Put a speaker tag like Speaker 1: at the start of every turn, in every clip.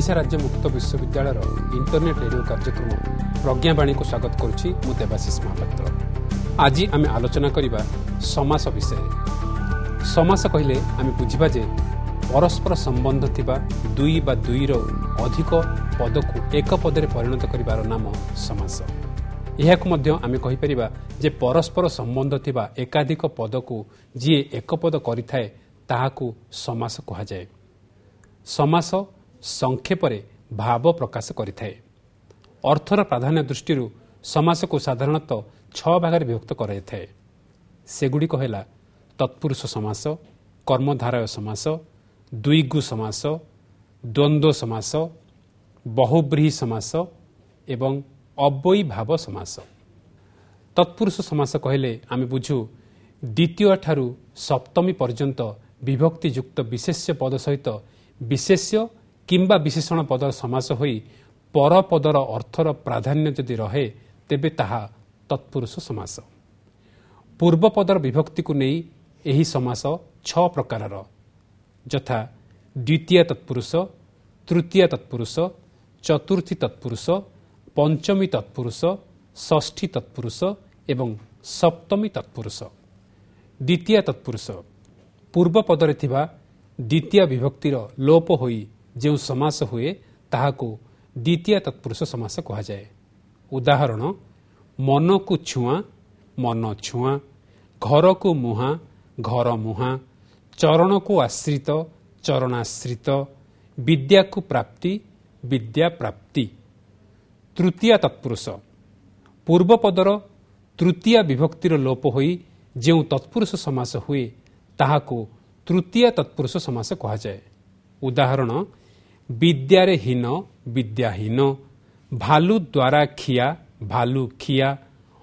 Speaker 1: ଓଡ଼ିଶା ରାଜ୍ୟ ମୁକ୍ତ ବିଶ୍ୱବିଦ୍ୟାଳୟର ଇଣ୍ଟରନେଟ୍ ରେଡ଼ିଓ କାର୍ଯ୍ୟକ୍ରମ ପ୍ରଜ୍ଞାବାଣୀକୁ ସ୍ୱାଗତ କରୁଛି ମୁଁ ଦେବାଶିଷ ମହାପାତ୍ର। ଆଜି ଆମେ ଆଲୋଚନା କରିବା ସମାସ ବିଷୟରେ। ସମାସ କହିଲେ ଆମେ ବୁଝିବା ଯେ ପରସ୍ପର ସମ୍ବନ୍ଧ ଥିବା ଦୁଇ ବା ଦୁଇର ଅଧିକ ପଦକୁ ଏକ ପଦରେ ପରିଣତ କରିବାର ନାମ ସମାସ। ଏହାକୁ ମଧ୍ୟ ଆମେ କହିପାରିବା ଯେ ପରସ୍ପର ସମ୍ବନ୍ଧ ଥିବା ଏକାଧିକ ପଦକୁ ଯିଏ ଏକ ପଦ କରିଥାଏ ତାହାକୁ ସମାସ କୁହାଯାଏ। ସମାସ ସଂକ୍ଷେପରେ ଭାବ ପ୍ରକାଶ କରିଥାଏ। ଅର୍ଥର ପ୍ରାଧାନ୍ୟ ଦୃଷ୍ଟିରୁ ସମାସକୁ ସାଧାରଣତଃ 6 ଭାଗରେ ବିଭକ୍ତ କରାଯାଇଥାଏ। ସେଗୁଡ଼ିକ ହେଲା ତତ୍ପୁରୁଷ ସମାସ, କର୍ମଧାରୟ ସମାସ, ଦ୍ୱିଗୁ ସମାସ, ଦ୍ୱନ୍ଦ୍ୱ ସମାସ, ବହୁବ୍ରୀହି ସମାସ ଏବଂ ଅବ୍ୟୟୀଭାବ ସମାସ। ତତ୍ପୁରୁଷ ସମାସ କହିଲେ ଆମେ ବୁଝୁ ଦ୍ୱିତୀୟ ଠାରୁ ସପ୍ତମୀ ପର୍ଯ୍ୟନ୍ତ ବିଭକ୍ତିଯୁକ୍ତ ବିଶେଷ୍ୟ ପଦ ସହିତ ବିଶେଷ୍ୟ କିମ୍ବା ବିଶେଷଣ ପଦର ସମାସ ହୋଇ ପରପଦର ଅର୍ଥର ପ୍ରାଧାନ୍ୟ ଯଦି ରହେ ତେବେ ତାହା ତତ୍ପୁରୁଷ ସମାସ। ପୂର୍ବପଦର ବିଭକ୍ତିକୁ ନେଇ ଏହି ସମାସ 6 ପ୍ରକାରର, ଯଥା ଦ୍ୱିତୀୟ ତତ୍ପୁରୁଷ, ତୃତୀୟ ତତ୍ପୁରୁଷ, ଚତୁର୍ଥୀ ତତ୍ପୁରୁଷ, ପଞ୍ଚମୀ ତତ୍ପୁରୁଷ, ଷଷ୍ଠୀ ତତ୍ପୁରୁଷ ଏବଂ ସପ୍ତମୀ ତତ୍ପୁରୁଷ। ଦ୍ୱିତୀୟ ତତ୍ପୁରୁଷ ପୂର୍ବପଦରେ ଥିବା ଦ୍ୱିତୀୟ ବିଭକ୍ତିର ଲୋପ ହୋଇ ଯେଉଁ ସମାସ ହୁଏ ତାହାକୁ ଦ୍ୱିତୀୟ ତତ୍ପୁରୁଷ ସମାସ କୁହାଯାଏ। ଉଦାହରଣ: ମନକୁ ଛୁଆଁ, ମନ ଛୁଆଁ, ଘରକୁ ମୁହାଁ, ଘର ମୁହାଁ, ଚରଣକୁ ଆଶ୍ରିତ, ଚରଣାଶ୍ରିତ, ବିଦ୍ୟାକୁ ପ୍ରାପ୍ତି, ବିଦ୍ୟା ପ୍ରାପ୍ତି। ତୃତୀୟ ତତ୍ପୁରୁଷ ପୂର୍ବପଦର ତୃତୀୟ ବିଭକ୍ତିର ଲୋପ ହୋଇ ଯେଉଁ ତତ୍ପୁରୁଷ ସମାସ ହୁଏ ତାହାକୁ ତୃତୀୟ ତତ୍ପୁରୁଷ ସମାସ କୁହାଯାଏ। ଉଦାହରଣ: ବିଦ୍ୟାରେ ହୀନ, ବିଦ୍ୟାହୀନ, ଭାଲୁ ଦ୍ୱାରା ଖିଆ, ଭାଲୁ ଖିଆ,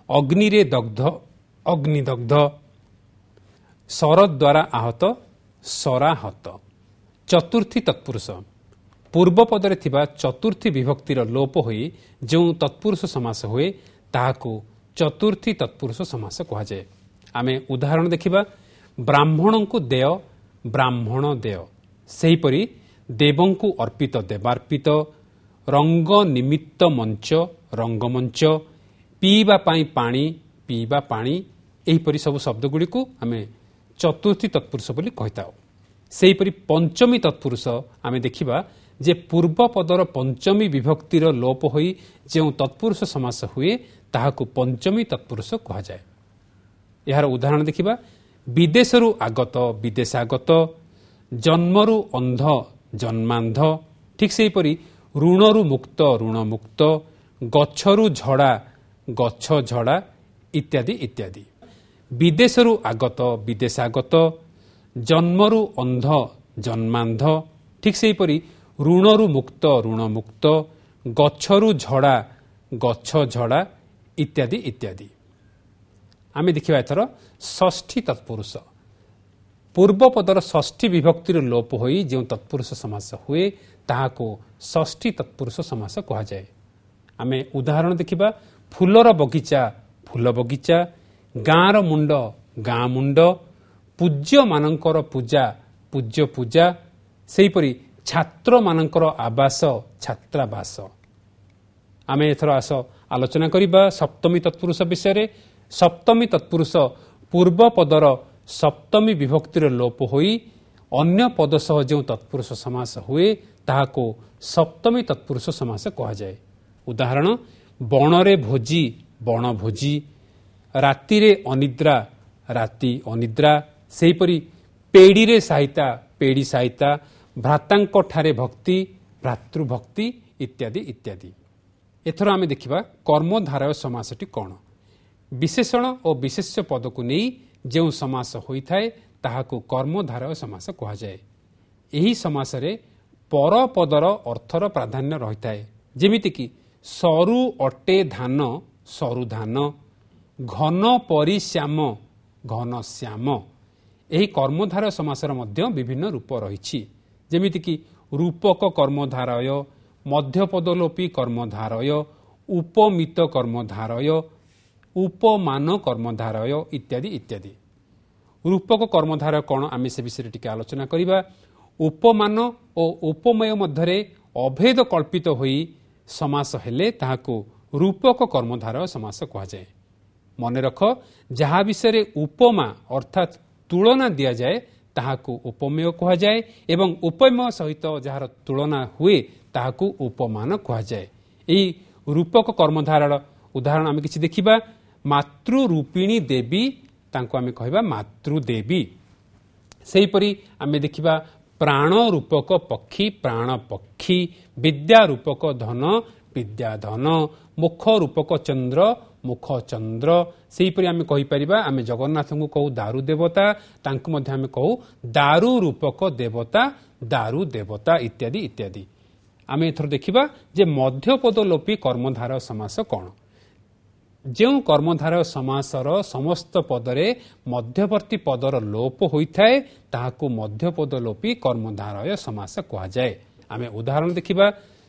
Speaker 1: ଅଗ୍ନିରେ ଦଗ୍ଧ, ଅଗ୍ନିଦଗ୍ଧ, ଶର ଦ୍ୱାରା ଆହତ, ଶରାହତ। ଚତୁର୍ଥୀ ତତ୍ପୁରୁଷ ପୂର୍ବପଦରେ ଥିବା ଚତୁର୍ଥୀ ବିଭକ୍ତିର ଲୋପ ହୋଇ ଯେଉଁ ତତ୍ପୁରୁଷ ସମାସ ହୁଏ ତାହାକୁ ଚତୁର୍ଥୀ ତତ୍ପୁରୁଷ ସମାସ କୁହାଯାଏ। ଆମେ ଉଦାହରଣ ଦେଖିବା: ବ୍ରାହ୍ମଣଙ୍କୁ ଦେୟ, ବ୍ରାହ୍ମଣ ଦେୟ। ସେହିପରି ଦେବଙ୍କୁ ଅର୍ପିତ, ଦେବାର୍ପିତ, ରଙ୍ଗ ନିମିତ୍ତ ମଞ୍ଚ, ରଙ୍ଗମଞ୍ଚ, ପିଇବା ପାଇଁ ପାଣି, ପିଇବା ପାଣି, ଏହିପରି ସବୁ ଶବ୍ଦଗୁଡ଼ିକୁ ଆମେ ଚତୁର୍ଥୀ ତତ୍ପୁରୁଷ ବୋଲି କହିଥାଉ। ସେହିପରି ପଞ୍ଚମୀ ତତ୍ପୁରୁଷ ଆମେ ଦେଖିବା ଯେ ପୂର୍ବପଦର ପଞ୍ଚମୀ ବିଭକ୍ତିର ଲୋପ ହୋଇ ଯେଉଁ ତତ୍ପୁରୁଷ ସମାସ ହୁଏ ତାହାକୁ ପଞ୍ଚମୀ ତତ୍ପୁରୁଷ କୁହାଯାଏ। ଏହାର ଉଦାହରଣ ଦେଖିବା: ବିଦେଶରୁ ଆଗତ, ବିଦେଶାଗତ, ଜନ୍ମରୁ ଅନ୍ଧ, ଜନ୍ମାନ୍ଧ। ଠିକ୍ ସେହିପରି ଋଣରୁ ମୁକ୍ତ, ଋଣମୁକ୍ତ, ଗଛରୁ ଝଡ଼ା, ଗଛ ଝଡ଼ା ଇତ୍ୟାଦି ଇତ୍ୟାଦି। ବିଦେଶରୁ ଆଗତ, ବିଦେଶାଗତ, ଜନ୍ମରୁ ଅନ୍ଧ, ଜନ୍ମାନ୍ଧ। ଠିକ୍ ସେହିପରି ଋଣରୁ ମୁକ୍ତ, ଋଣମୁକ୍ତ, ଗଛରୁ ଝଡ଼ା, ଗଛ ଝଡ଼ା ଇତ୍ୟାଦି ଇତ୍ୟାଦି। ଆମେ ଦେଖିବା ଏଥର ଷଷ୍ଠୀ ତତ୍ପୁରୁଷ। ପୂର୍ବପଦର ଷଷ୍ଠୀ ବିଭକ୍ତିର ଲୋପ ହୋଇ ଯେଉଁ ତତ୍ପୁରୁଷ ସମାସ ହୁଏ ତାହାକୁ ଷଷ୍ଠୀ ତତ୍ପୁରୁଷ ସମାସ କୁହାଯାଏ। ଆମେ ଉଦାହରଣ ଦେଖିବା: ଫୁଲର ବଗିଚା, ଫୁଲ ବଗିଚା, ଗାଁର ମୁଣ୍ଡ, ଗାଁ ମୁଣ୍ଡ, ପୂଜ୍ୟମାନଙ୍କର ପୂଜା, ପୂଜ୍ୟ ପୂଜା, ସେହିପରି ଛାତ୍ରମାନଙ୍କର ଆବାସ, ଛାତ୍ରାବାସ। ଆମେ ଏଥର ଆସ ଆଲୋଚନା କରିବା ସପ୍ତମୀ ତତ୍ପୁରୁଷ ବିଷୟରେ। ସପ୍ତମୀ ତତ୍ପୁରୁଷ ପୂର୍ବପଦର ସପ୍ତମୀ ବିଭକ୍ତିର ଲୋପ ହୋଇ ଅନ୍ୟ ପଦ ସହ ଯେଉଁ ତତ୍ପୁରୁଷ ସମାସ ହୁଏ ତାହାକୁ ସପ୍ତମୀ ତତ୍ପୁରୁଷ ସମାସ କୁହାଯାଏ। ଉଦାହରଣ: ବଣରେ ଭୋଜି, ବଣଭୋଜି, ରାତିରେ ଅନିଦ୍ରା, ରାତି ଅନିଦ୍ରା, ସେହିପରି ପେଡ଼ିରେ ସାଇତା, ପେଡ଼ି ସାଇତା, ଭ୍ରାତାଙ୍କ ଠାରେ ଭକ୍ତି, ଭ୍ରାତୃଭକ୍ତି ଇତ୍ୟାଦି ଇତ୍ୟାଦି। ଏଥର ଆମେ ଦେଖିବା କର୍ମଧାରୟ ସମାସଟି କ'ଣ। ବିଶେଷଣ ଓ ବିଶେଷ୍ୟ ପଦକୁ ନେଇ ଯେଉଁ ସମାସ ହୋଇଥାଏ ତାହାକୁ କର୍ମଧାରୟ ସମାସ କୁହାଯାଏ। ଏହି ସମାସରେ ପରପଦର ଅର୍ଥର ପ୍ରାଧାନ୍ୟ ରହିଥାଏ। ଯେମିତିକି ସରୁ ଅଟେ ଧାନ, ସରୁ ଧାନ, ଘନ ପରି ଶ୍ୟାମ, ଘନ ଶ୍ୟାମ। ଏହି କର୍ମଧାରୟ ସମାସର ମଧ୍ୟ ବିଭିନ୍ନ ରୂପ ରହିଛି। ଯେମିତିକି ରୂପକ କର୍ମଧାରୟ, ମଧ୍ୟପଦଲୋପୀ କର୍ମଧାରୟ, ଉପମିତ କର୍ମଧାରୟ, ଉପମାନ କର୍ମଧାରୟ ଇତ୍ୟାଦି ଇତ୍ୟାଦି। ରୂପକ କର୍ମଧାରୟ କ'ଣ ଆମେ ସେ ବିଷୟରେ ଟିକେ ଆଲୋଚନା କରିବା। ଉପମାନ ଓ ଉପମେୟ ମଧ୍ୟରେ ଅଭେଦ କଳ୍ପିତ ହୋଇ ସମାସ ହେଲେ ତାହାକୁ ରୂପକ କର୍ମଧାରୟ ସମାସ କୁହାଯାଏ। ମନେ ରଖ, ଯାହା ବିଷୟରେ ଉପମା ଅର୍ଥାତ୍ ତୁଳନା ଦିଆଯାଏ ତାହାକୁ ଉପମେୟ କୁହାଯାଏ ଏବଂ ଉପମେୟ ସହିତ ଯାହାର ତୁଳନା ହୁଏ ତାହାକୁ ଉପମାନ କୁହାଯାଏ। ଏହି ରୂପକ କର୍ମଧାରର ଉଦାହରଣ ଆମେ କିଛି ଦେଖିବା। ମାତୃରୂପିଣୀ ଦେବୀ, ତାଙ୍କୁ ଆମେ କହିବା ମାତୃଦେବୀ। ସେହିପରି ଆମେ ଦେଖିବା ପ୍ରାଣ ରୂପକ ପକ୍ଷୀ, ପ୍ରାଣ ପକ୍ଷୀ, ବିଦ୍ୟା ରୂପକ ଧନ, ବିଦ୍ୟାଧନ, ମୁଖ ରୂପକ ଚନ୍ଦ୍ର, ମୁଖ ଚନ୍ଦ୍ର। ସେହିପରି ଆମେ କହିପାରିବା ଆମେ ଜଗନ୍ନାଥଙ୍କୁ କହୁ ଦାରୁ ଦେବତା, ତାଙ୍କୁ ମଧ୍ୟ ଆମେ କହୁ ଦାରୁ ରୂପକ ଦେବତା, ଦାରୁ ଦେବତା ଇତ୍ୟାଦି ଇତ୍ୟାଦି। ଆମେ ଏଥର ଦେଖିବା ଯେ ମଧ୍ୟପଦଲୋପୀ କର୍ମଧାରୟ ସମାସ କ'ଣ। ଯେଉଁ କର୍ମଧାରୟ ସମାସର ସମସ୍ତ ପଦରେ ମଧ୍ୟବର୍ତ୍ତୀ ପଦର ଲୋପ ହୋଇଥାଏ ତାହାକୁ ମଧ୍ୟପଦଲୋପୀ କର୍ମଧାରୟ ସମାସ କୁହାଯାଏ। ଆମେ ଉଦାହରଣ ଦେଖିବା।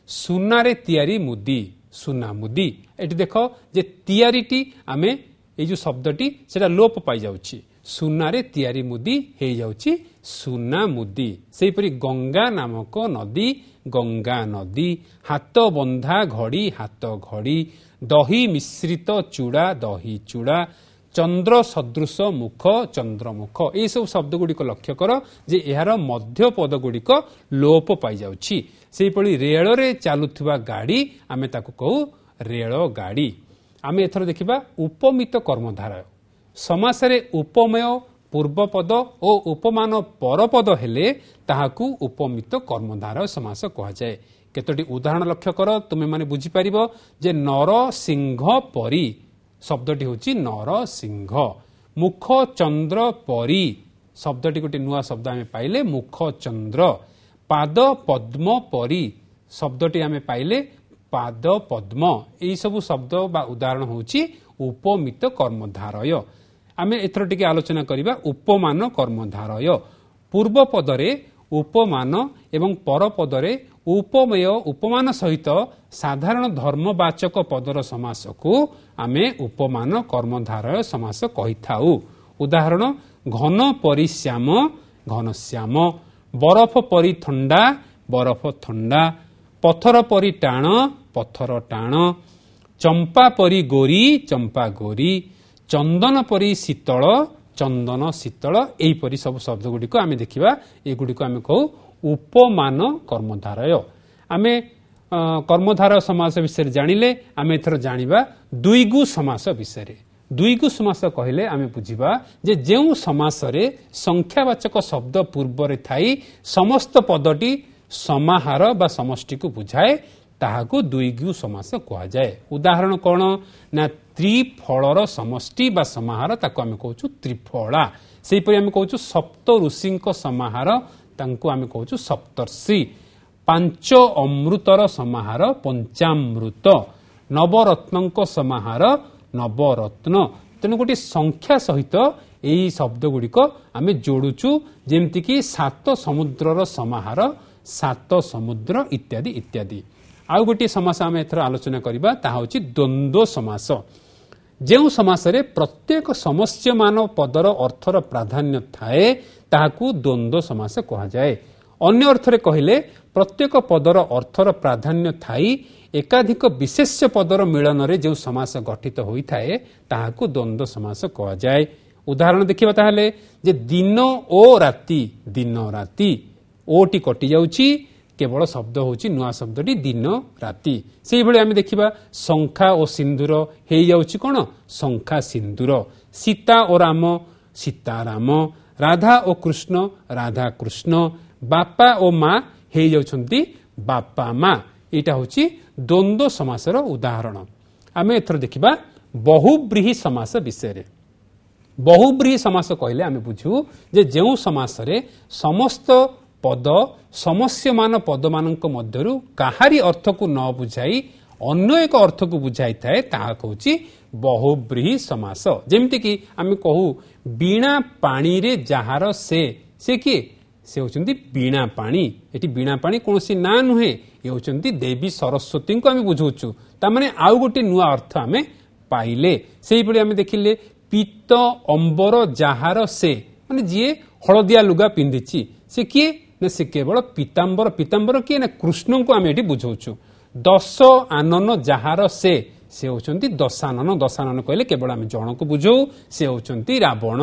Speaker 1: ସୁନାରେ ତିଆରି ମୁଦି, ସୁନା ମୁଦି। ଏଠି ଦେଖ ଯେ ତିଆରିଟି ଆମେ ଏଇ ଯେଉଁ ଶବ୍ଦଟି ସେଟା ଲୋପ ପାଇଯାଉଛି, ସୁନାରେ ତିଆରି ମୁଦି ହେଇଯାଉଛି ସୁନା ମୁଦି। ସେହିପରି ଗଙ୍ଗା ନାମକ ନଦୀ, ଗଙ୍ଗା ନଦୀ, ହାତ ବନ୍ଧା ଘଡ଼ି, ହାତ ଘଡ଼ି, ଦହି ମିଶ୍ରିତ ଚୂଡ଼ା, ଦହି ଚୂଡ଼ା, ଚନ୍ଦ୍ର ସଦୃଶ ମୁଖ, ଚନ୍ଦ୍ରମୁଖ। ଏହିସବୁ ଶବ୍ଦ ଗୁଡ଼ିକ ଲକ୍ଷ୍ୟ କର ଯେ ଏହାର ମଧ୍ୟପଦ ଗୁଡ଼ିକ ଲୋପ ପାଇଯାଉଛି। ସେହିଭଳି ରେଳରେ ଚାଲୁଥିବା ଗାଡ଼ି ଆମେ ତାକୁ କହୁ ରେଳଗାଡ଼ି। ଆମେ ଏଥର ଦେଖିବା ଉପମିତ କର୍ମଧାରୟ ସମାସରେ ଉପମେୟ ପୂର୍ବପଦ ଓ ଉପମାନ ପରପଦ ହେଲେ ତାହାକୁ ଉପମିତ କର୍ମଧାରୟ ସମାସ କୁହାଯାଏ। କେତୋଟି ଉଦାହରଣ ଲକ୍ଷ୍ୟ କର, ତୁମେମାନେ ବୁଝିପାରିବ ଯେ ନରସିଂହ ପରି ଶବ୍ଦଟି ହେଉଛି ନରସିଂହ, ମୁଖ ଚନ୍ଦ୍ର ପରି ଶବ୍ଦଟି ଗୋଟିଏ ନୂଆ ଶବ୍ଦ ଆମେ ପାଇଲେ ମୁଖ ଚନ୍ଦ୍ର, ପାଦ ପଦ୍ମ ପରି ଶବ୍ଦଟି ଆମେ ପାଇଲେ ପାଦ ପଦ୍ମ। ଏହିସବୁ ଶବ୍ଦ ବା ଉଦାହରଣ ହେଉଛି ଉପମିତ କର୍ମଧାରୟ। ଆମେ ଏଥର ଟିକେ ଆଲୋଚନା କରିବା ଉପମାନ କର୍ମଧାରୟ। ପୂର୍ବ ପଦରେ ଉପମାନ ଏବଂ ପରପଦରେ ଉପମେୟ ଉପମାନ ସହିତ ସାଧାରଣ ଧର୍ମବାଚକ ପଦର ସମାସକୁ ଆମେ ଉପମାନ କର୍ମଧାରୟ ସମାସ କହିଥାଉ। ଉଦାହରଣ, ଘନ ପରି ଶ୍ୟାମ, ଘନଶ୍ୟାମ, ବରଫ ପରି ଥଣ୍ଡା, ବରଫ ଥଣ୍ଡା, ପଥର ପରି ଟାଣ, ପଥର ଟାଣ, ଚମ୍ପା ପରି ଗୋରୀ, ଚମ୍ପା ଗୋରୀ, ଚନ୍ଦନ ପରି ଶୀତଳ, ଚନ୍ଦନ ଶୀତଳ। ଏହିପରି ସବୁ ଶବ୍ଦ ଗୁଡ଼ିକ ଆମେ ଦେଖିବା, ଏଗୁଡ଼ିକୁ ଆମେ କହୁ ଉପମାନ କର୍ମଧାରୟ। ଆମେ କର୍ମଧାରୟ ସମାସ ବିଷୟରେ ଜାଣିଲେ, ଆମେ ଏଥର ଜାଣିବା ଦ୍ୱିଗୁ ସମାସ ବିଷୟରେ। ଦ୍ୱିଗୁ ସମାସ କହିଲେ ଆମେ ବୁଝିବା ଯେ ଯେଉଁ ସମାସରେ ସଂଖ୍ୟାବାଚକ ଶବ୍ଦ ପୂର୍ବରେ ଥାଇ ସମସ୍ତ ପଦଟି ସମାହାର ବା ସମଷ୍ଟିକୁ ବୁଝାଏ ତାହାକୁ ଦ୍ୱିଗୁ ସମାସ କୁହାଯାଏ। ଉଦାହରଣ କ'ଣ ନା ତ୍ରିଫଳର ସମଷ୍ଟି ବା ସମାହାର, ତାକୁ ଆମେ କହୁଛୁ ତ୍ରିଫଳା। ସେହିପରି ଆମେ କହୁଛୁ ସପ୍ତ ଋଷିଙ୍କ ସମାହାର, ତାଙ୍କୁ ଆମେ କହୁଛୁ ସପ୍ତର୍ଷି। ପାଞ୍ଚ ଅମୃତର ସମାହାର ପଞ୍ଚାମୃତ, ନବରତ୍ନଙ୍କ ସମାହାର ନବରତ୍ନ। ତେଣୁ ଗୋଟିଏ ସଂଖ୍ୟା ସହିତ ଏହି ଶବ୍ଦ ଗୁଡ଼ିକ ଆମେ ଯୋଡୁଛୁ, ଯେମିତିକି ସାତ ସମୁଦ୍ରର ସମାହାର ସାତ ସମୁଦ୍ର ଇତ୍ୟାଦି ଇତ୍ୟାଦି। ଆଉ ଗୋଟିଏ ସମାସ ଆମେ ଏଥର ଆଲୋଚନା କରିବା, ତାହା ହେଉଛି ଦ୍ୱନ୍ଦ୍ୱ ସମାସ। ଯେଉଁ ସମାସରେ ପ୍ରତ୍ୟେକ ସମସ୍ୟମାନ ପଦର ଅର୍ଥର ପ୍ରାଧାନ୍ୟ ଥାଏ ତାହାକୁ ଦ୍ୱନ୍ଦ୍ୱ ସମାସ କୁହାଯାଏ। ଅନ୍ୟ ଅର୍ଥରେ କହିଲେ ପ୍ରତ୍ୟେକ ପଦର ଅର୍ଥର ପ୍ରାଧାନ୍ୟ ଥାଇ ଏକାଧିକ ବିଶେଷ୍ୟ ପଦର ମିଳନରେ ଯେଉଁ ସମାସ ଗଠିତ ହୋଇଥାଏ ତାହାକୁ ଦ୍ୱନ୍ଦ୍ୱ ସମାସ କୁହାଯାଏ। ଉଦାହରଣ ଦେଖିବା ତାହେଲେ ଯେ ଦିନ ଓ ରାତି, ଦିନ ରାତି, ଓଟି କଟିଯାଉଛି, କେବଳ ଶବ୍ଦ ହେଉଛି ନୂଆ ଶବ୍ଦଟି ଦିନ ରାତି। ସେଇଭଳି ଆମେ ଦେଖିବା ଶଙ୍ଖା ଓ ସିନ୍ଦୁର ହେଇଯାଉଛି କ'ଣ ଶଙ୍ଖା ସିନ୍ଦୁର, ସୀତା ଓ ରାମ ସୀତାରାମ, ରାଧା ଓ କୃଷ୍ଣ ରାଧା କୃଷ୍ଣ, ବାପା ଓ ମା ହେଇଯାଉଛନ୍ତି ବାପା ମା। ଏଇଟା ହେଉଛି ଦ୍ୱନ୍ଦ୍ୱ ସମାସର ଉଦାହରଣ। ଆମେ ଏଥର ଦେଖିବା ବହୁବ୍ରୀହି ସମାସ ବିଷୟରେ। ବହୁବ୍ରୀହି ସମାସ କହିଲେ ଆମେ ବୁଝୁ ଯେ ଯେଉଁ ସମାସରେ ସମସ୍ତ ପଦ ସମସ୍ୟମାନ ପଦମାନଙ୍କ ମଧ୍ୟରୁ କାହାରି ଅର୍ଥକୁ ନ ବୁଝାଇ ଅନ୍ୟ ଏକ ଅର୍ଥକୁ ବୁଝାଇଥାଏ ତାହା କହୁଛି ବହୁବ୍ରୀହି ସମାସ। ଯେମିତିକି ଆମେ କହୁ ବୀଣା ପାଣିରେ ଯାହାର ସେ, ସେ କିଏ? ସେ ହେଉଛନ୍ତି ବୀଣା ପାଣି। ଏଠି ବୀଣା ପାଣି କୌଣସି ନାଁ ନୁହେଁ, ଏ ହେଉଛନ୍ତି ଦେବୀ ସରସ୍ୱତୀଙ୍କୁ ଆମେ ବୁଝାଉଛୁ। ତାମାନେ ଆଉ ଗୋଟିଏ ନୂଆ ଅର୍ଥ ଆମେ ପାଇଲେ। ସେହିଭଳି ଆମେ ଦେଖିଲେ ପୀତ ଅମ୍ବର ଯାହାର ସେ, ମାନେ ଯିଏ ହଳଦିଆ ଲୁଗା ପିନ୍ଧିଛି ସେ କିଏ? ନା ସେ କେବଳ ପୀତାମ୍ବର। ପୀତାମ୍ବର କିଏ ନା କୃଷ୍ଣଙ୍କୁ ଆମେ ଏଠି ବୁଝାଉଛୁ। ଦଶ ଆନନ ଯାହାର ସେ, ସେ ହେଉଛନ୍ତି ଦଶାନନ। ଦଶାନନ କହିଲେ କେବଳ ଆମେ ଜଣକୁ ବୁଝାଉ, ସେ ହେଉଛନ୍ତି ରାବଣ।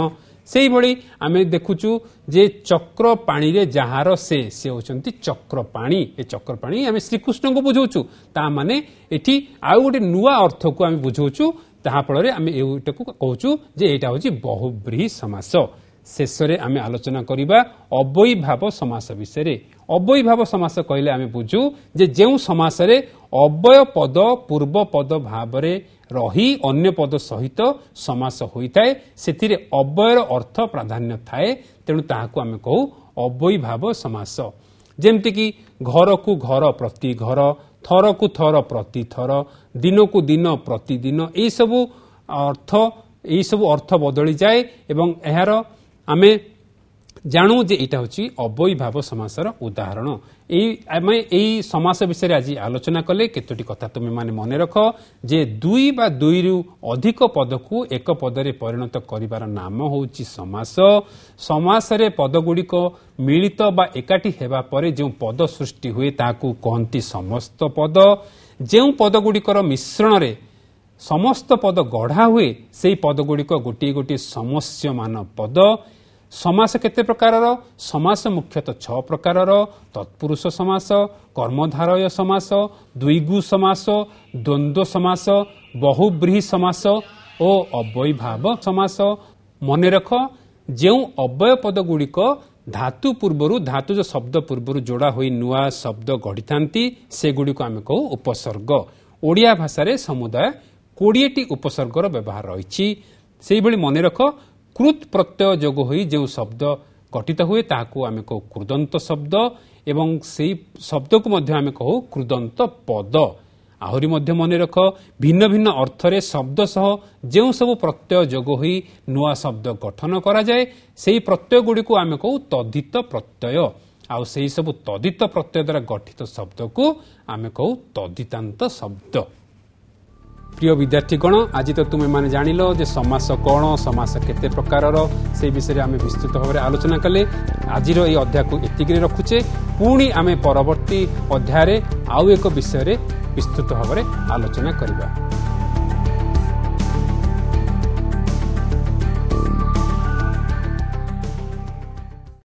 Speaker 1: ସେଇଭଳି ଆମେ ଦେଖୁଛୁ ଯେ ଚକ୍ରପାଣିରେ ଯାହାର ସେ, ସେ ହେଉଛନ୍ତି ଚକ୍ରପାଣି। ଏ ଚକ୍ରପାଣି ଆମେ ଶ୍ରୀକୃଷ୍ଣଙ୍କୁ ବୁଝାଉଛୁ। ତା ମାନେ ଏଠି ଆଉ ଗୋଟେ ନୂଆ ଅର୍ଥକୁ ଆମେ ବୁଝାଉଛୁ, ତାହା ଫଳରେ ଆମେ ଏଇଟାକୁ କହୁଛୁ ଯେ ଏଇଟା ହେଉଛି ବହୁବ୍ରୀହି ସମାସ। ଶେଷରେ ଆମେ ଆଲୋଚନା କରିବା ଅବ୍ୟୟୀଭାବ ସମାସ ବିଷୟରେ। ଅବ୍ୟୟୀଭାବ ସମାସ କହିଲେ ଆମେ ବୁଝୁ ଯେ ଯେଉଁ ସମାସରେ ଅବ୍ୟୟ ପଦ ପୂର୍ବ ପଦ ଭାବରେ ରହି ଅନ୍ୟ ପଦ ସହିତ ସମାସ ହୋଇଥାଏ, ସେଥିରେ ଅବ୍ୟୟର ଅର୍ଥ ପ୍ରାଧାନ୍ୟ ଥାଏ, ତେଣୁ ତାହାକୁ ଆମେ କହୁ ଅବ୍ୟୟୀଭାବ ସମାସ। ଯେମିତିକି ଘରକୁ ଘର ପ୍ରତି ଘର, ଥରକୁ ଥର ପ୍ରତି ଥର, ଦିନକୁ ଦିନ ପ୍ରତିଦିନ, ଏଇସବୁ ଅର୍ଥ ବଦଳିଯାଏ ଏବଂ ଏହାର ଆମେ ଜାଣୁ ଯେ ଏଇଟା ହେଉଛି ଅବ୍ୟୟୀଭାବ ସମାସର ଉଦାହରଣ। ଏଇ ଆମେ ଏଇ ସମାସ ବିଷୟରେ ଆଜି ଆଲୋଚନା କଲେ। କେତୋଟି କଥା ତୁମେମାନେ ମନେ ରଖ ଯେ ଦୁଇ ବା ଦୁଇରୁ ଅଧିକ ପଦକୁ ଏକ ପଦରେ ପରିଣତ କରିବାର ନାମ ହେଉଛି ସମାସ। ସମାସରେ ପଦଗୁଡ଼ିକ ମିଳିତ ବା ଏକାଠି ହେବା ପରେ ଯେଉଁ ପଦ ସୃଷ୍ଟି ହୁଏ ତାହାକୁ କହନ୍ତି ସମସ୍ତ ପଦ। ଯେଉଁ ପଦଗୁଡ଼ିକର ମିଶ୍ରଣରେ ସମସ୍ତ ପଦ ଗଢ଼ା ହୁଏ, ସେଇ ପଦଗୁଡ଼ିକ ଗୋଟିଏ ଗୋଟିଏ ସମସ୍ୟମାନ ପଦ। ସମାସ କେତେ ପ୍ରକାରର? ସମାସ ମୁଖ୍ୟତଃ 6 ପ୍ରକାରର: ତତ୍ପୁରୁଷ ସମାସ, କର୍ମଧାରୟ ସମାସ, ଦ୍ୱିଗୁ ସମାସ, ଦ୍ୱନ୍ଦ୍ୱ ସମାସ, ବହୁବ୍ରୀହି ସମାସ ଓ ଅବ୍ୟୟୀଭାବ ସମାସ। ମନେ ରଖ, ଯେଉଁ ଅବ୍ୟୟ ପଦଗୁଡ଼ିକ ଧାତୁ ପୂର୍ବରୁ, ଧାତୁଜ ଶବ୍ଦ ପୂର୍ବରୁ ଯୋଡ଼ା ହୋଇ ନୂଆ ଶବ୍ଦ ଗଢ଼ିଥାନ୍ତି, ସେଗୁଡ଼ିକୁ ଆମେ କହୁ ଉପସର୍ଗ। ଓଡ଼ିଆ ଭାଷାରେ ସମୁଦାୟ 20ଟି ଉପସର୍ଗର ବ୍ୟବହାର ରହିଛି। ସେଇଭଳି ମନେ ରଖ, କୃତ୍ ପ୍ରତ୍ୟୟ ଯୋଗ ହୋଇ ଯେଉଁ ଶବ୍ଦ ଗଠିତ ହୁଏ ତାହାକୁ ଆମେ କହୁ କୃଦନ୍ତ ଶବ୍ଦ ଏବଂ ସେଇ ଶବ୍ଦକୁ ମଧ୍ୟ ଆମେ କହୁ କୃଦନ୍ତ ପଦ। ଆହୁରି ମଧ୍ୟ ମନେ ରଖ, ଭିନ୍ନ ଭିନ୍ନ ଅର୍ଥରେ ଶବ୍ଦ ସହ ଯେଉଁ ସବୁ ପ୍ରତ୍ୟୟ ଯୋଗ ହୋଇ ନୂଆ ଶବ୍ଦ ଗଠନ କରାଯାଏ, ସେହି ପ୍ରତ୍ୟୟଗୁଡ଼ିକୁ ଆମେ କହୁ ତଦ୍ଧିତ ପ୍ରତ୍ୟୟ। ଆଉ ସେହି ସବୁ ତଦ୍ଧିତ ପ୍ରତ୍ୟୟ ଦ୍ୱାରା ଗଠିତ ଶବ୍ଦକୁ ଆମେ କହୁ ତଦ୍ଧିତାନ୍ତ ଶବ୍ଦ। ପ୍ରିୟ ବିଦ୍ୟାର୍ଥୀଗଣ, ଆଜି ତ ତୁମେମାନେ ଜାଣିଲ ଯେ ସମାସ କ'ଣ, ସମାସ କେତେ ପ୍ରକାରର, ସେଇ ବିଷୟରେ ଆମେ ବିସ୍ତୃତ ଭାବରେ ଆଲୋଚନା କଲେ। ଆଜିର ଏଇ ଅଧ୍ୟାୟକୁ ଏତିକିରେ ରଖୁଛେ। ପୁଣି ଆମେ ପରବର୍ତ୍ତୀ ଅଧ୍ୟାୟରେ ଆଉ ଏକ ବିଷୟରେ ବିସ୍ତୃତ ଭାବରେ ଆଲୋଚନା କରିବା।